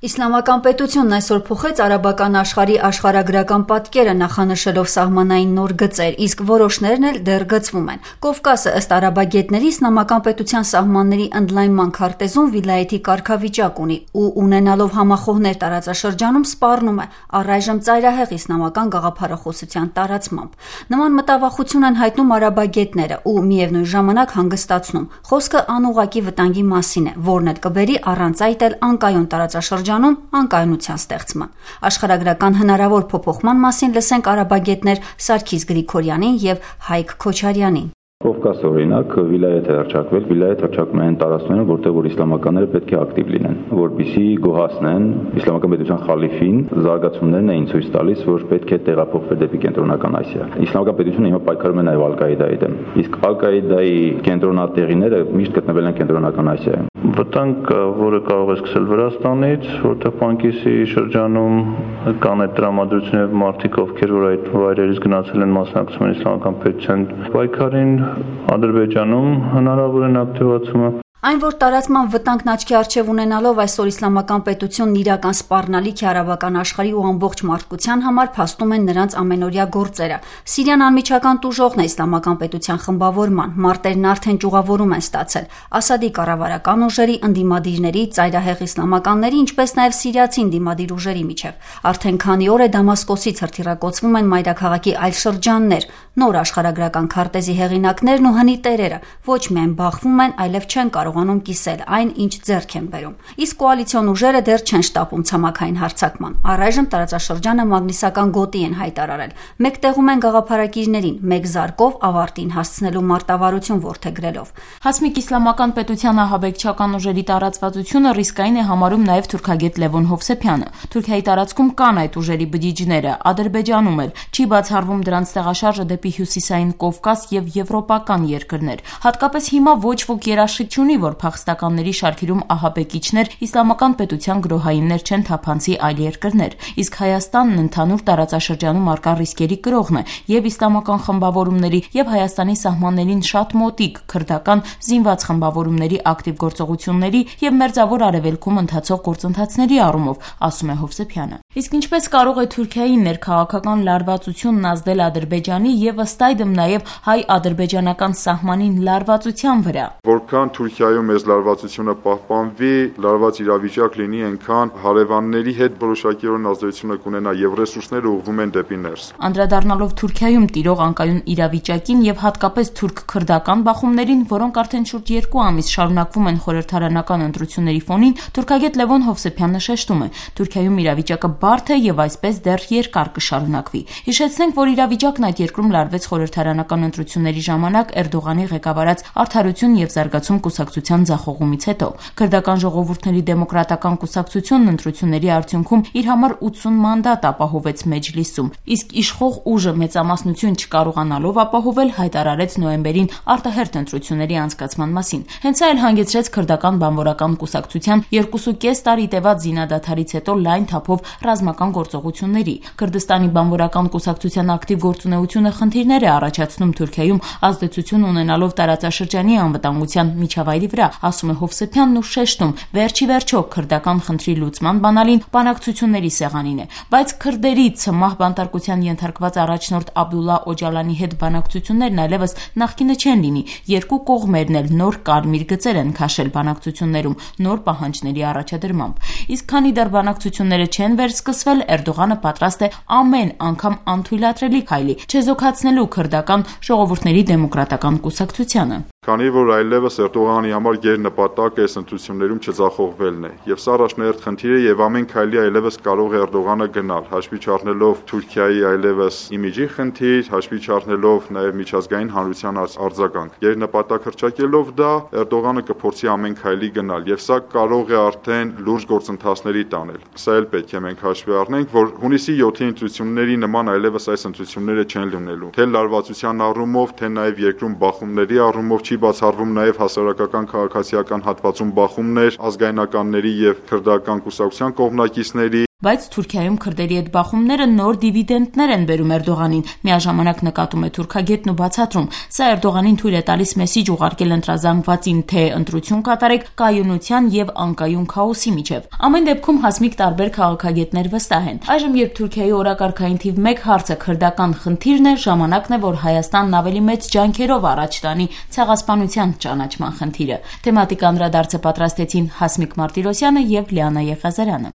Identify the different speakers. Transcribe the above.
Speaker 1: Իսլամական պետությունն այսօր փոխեց արաբական աշխարհի աշխարհագրական պատկերը նախանշելով սահմանային նոր գծեր, իսկ որոշներն էլ դեռ գծվում են։ Կովկասը ըստ արաբագետների իսլամական պետության սահմանների ընդլայնման քարտեզում վիլայեթի կարգավիճակ ունի ու ունենալով համախոհներ տարածաշրջանում սպառնում է առայժմ ծայրահեղ իսլամական գաղափարախոսության տարածմամբ։ Նման մտավախություն են հայտնում արաբագետները ու միևնույն ժամանակ հանգստացնում։ Խոսքը անուղղակի վտանգի մասին է, որն էլ կբերի առանց այդ էլ անկայուն տարածաշրջանում անկայունության ստեղծման։ Աշխարհագրական հնարավոր փոփոխման մասին լսենք արաբագետներ Սարգիս Գրիգորյանին եւ Հայկ Քոչարյանին։
Speaker 2: Կովկաս օրինակ վիլայեթ է հռչակվել, վիլայեթ հռչակում են տարածքներում, որտեղ որ իսլամականները պետք է ակտիվ լինեն, որպեսզի գոհացնեն իսլամական պետության խալիֆին, զարգացումներն էին ցույց տալիս, որ պետք է տեղափոխվել դեպի կենտրոնական Ասիա։ Իսլամական պետությունը հիմա պայքարում է նաև Ալ-Կաիդայի դեմ, իսկ Ալ-Կաիդայի կենտրոնատեղիները միշտ գտնվել են կենտրոնական Ասիայում։
Speaker 3: Վտանգ, որը կարող է սկսել Վրաստանից, որտեղ Պանկիսի շրջանում կան այդ տրամադրությունը եւ մարդիկ, ովքեր որ այդ վայրերից գնացել են մասնակցում են իսլամական պետության պայքարին, Ադրբեջանում հնարավոր են ակտիվացումը։
Speaker 1: Այն, որ տարածման վտանգն աչքի առջև ունենալով այսօր իսլամական պետությունն իրական սպառնալիք է արաբական աշխարհի ու ամբողջ մարդկության համար, փաստում են նրանց ամենօրյա գործերը։ Սիրիան անմիջական տուժողն է իսլամական պետության խմբավորման, մարտերն արդեն ճյուղավորում են ստացել։ Ասադի կառավարական ուժերի, ընդդիմադիրների, ծայրահեղ իսլամականների, ինչպես նաև սիրիացի ընդդիմադիր ուժերի միջև։ Արդեն քանի օր է Դամասկոսից հրթիռակոծվում են մայրաքաղաքի այլ շրջաններ, նոր աշխարհագրական քարտեզի հեղինակներն ու հնի տերերը ոչ միայն բախվում են, այլև չեն կարողանում կիսել այն, ինչ ձեռք են բերում։ Իսկ կոալիցիոն ուժերը դեռ չեն շտապում ցամաքային հարձակման։ Առայժմ տարածաշրջանը մագնիսական գոտի են հայտարարել։ Մեկտեղում են գաղափարակիրներին, մեկ զարկով ավարտին հասցնելու մարտավարություն որդեգրելով։
Speaker 4: Հասմիկ իսլամական պետության ահաբեկչական ուժերի տարածվածությունը ռիսկային է համարում նաև թուրքագետ Լևոն Հովսեփյանը։ Թուրքիայի տարածքում կան այդ ուժերի բջիջները, Ադրբեջանում էլ չի բացառվում դրանց տեղաշարժը դեպի հյուսիսային Կովկաս եւ եվրոպական երկրներ։ Հատկապես հիմա ոչ ոք երաշխիք չունի, որ փախստականների շարքերում ահաբեկիչներ իսլամական պետության գրոհայիններ չեն թափանցի այլ երկրներ, իսկ Հայաստանն ընդհանուր տարածաշրջանում արկա ռիսկերի կրողն է եւ իսլամական խմբավորումների եւ Հայաստանի սահմաններին շատ մոտիկ քրդական զինված խմբավորումների ակտիվ գործողությունների եւ մերձավոր արևելքում ընթացող գործընթացների առումով, ասում է Հովսեփյանը։ Իսկ ինչպես կարող է Թուրքիայի ներքաղաքական լարվածությունն ազդել Ադրբեջանի եւ ըստ այդմ նաեւ հայ-ադրբեջանական սահմանին լարվածության վրա։
Speaker 5: Որքան Թուրքիայում այս լարվածությունը պահպանվի, լարված իրավիճակ լինի, այնքան հարևանների հետ որոշակիորեն ազդեցությունը կունենա եւ ռեսուրսները ուղղվում են դեպի ներս։
Speaker 4: Անդրադառնալով Թուրքիայում տիրող անկայուն իրավիճակին եւ հատկապես թուրք-քրդական բախումներին, որոնք արդեն շուրջ 2 ամիս շարունակվում են խորհրդարանական ընտրությունների ֆոնին, թուրքագետ Լևոն Հովսեփյանը շեշտում է. Թուրքիայում իրավիճակը բարդ է եւ այսպես դեռ երկար կշարունակվի։ Հիշեցնենք, որ իրավիճակն այդ երկրում լարվեց խորհրդարանական ընտրությունների ժամանակ Էրդողանի ղեկավարած Արդարություն եւ զարգացում կուսակցության ձախողումից հետո։ Քրդական ժողովուրդների դեմոկրատական կուսակցությունն ընտրությունների արդյունքում իր համար 80 մանդատ ապահովեց Մեջլիսում, իսկ իշխող ուժը մեծամասնություն չկարողանալով ապահովել, հայտարարեց նոյեմբերին արտահերթ ընտրությունների անցկացման մասին։ Հենց այլ հանգեցրեց քրդական բանվորական կուսակցության 2.5 տարի տևած զինադադարից հետո լայն թափով ռազմական գործողությունների։ Քրդստանի բանվորական կուսակցության ակտիվ գործունեությունը խնդիրներ է առաջացնում Թուրքիայում ազդեցություն ունենալով տարածաշրջանի անվտանգության միջավայրի վրա, ասում է Հովսեփյանն ու շեշտում. վերջի վերջո քրդական խնդրի լուծման բանալին բանակցությունների սեղանին է, բայց քրդերի ցմահ բանտարկության ենթարկված առաջնորդ Աբդուլլա Օջալանի հետ բանակցություններն այլևս նախկինը չեն լինի։ Երկու կողմերն էլ նոր կարմիր գծեր են քաշել բանակցություններում նոր պահանջների առաջադրմամբ։ Իսկ քանի դեռ բանակցությունները չեն վերսկսվել, Էրդողանը պատրաստ է ամեն անգամ անթույլատրելի քայլի չեզոքացնելու քրդական ժողովուրդների դեմոկրատական կուսակցությանը։
Speaker 5: Քանի որ այլևս Էրդողանի համար գերնպատակը այս ընտրություններում չձախողվելն է, եւ սա առաջնահերթ խնդիր է եւ ամեն քայլի այլևս կարող է Էրդողանը գնալ, հաշվի չառնելով Թուրքիայի այլևս իմիջի խնդիր, հաշվի չառնելով նաեւ միջազգային հանրության արձագանք։ Գերնպատակ հռչակելով դա Էրդողանը կփորձի ամեն քայլի գնալ եւ սա կարող է արդեն լուրջ գործընթացների տանել։ Սա էլ պետք է մենք հաշվի առնենք, որ հունիսի 7-ի ընտրությունների նման այլևս այս ընտրությունները չեն լինելու։ Թե լարվածության առումով, թե նաեւ երկրում բախումների առումով չի բացառվում նաև հասարակական քաղաքացիական հատվածում բախումներ ազգայնականների եւ քրդական կուսակցության կողմնակիցների
Speaker 4: Բայց Թուրքիայում քրդերի հետ բախումները նոր դիվիդենտներ են բերում Էրդողանին, միաժամանակ նկատում է թուրքագետն ու բացատրում. սա Էրդողանին թույլ է տալիս մեսիջ ուղարկել ընտրազանգվածին, թե ընտրություն կատարեք կայունության եւ անկայուն քաոսի միջև։ Ամեն դեպքում Հասմիկ տարբեր քաղաքագետներ վստահ են. այժմ երբ Թուրքիայի օրակարգային թիվ 1 հարցը քրդական խնդիրն է, ժամանակն է, որ Հայաստանն ավելի մեծ ջանքերով առաջ տանի ցեղասպանության ճանաչման խնդիրը։ Թեմատիկան անդրադարձը պատրաստեցին Հասմիկ Մարտիրոսյանը եւ Լիանա Եղիազարյանը։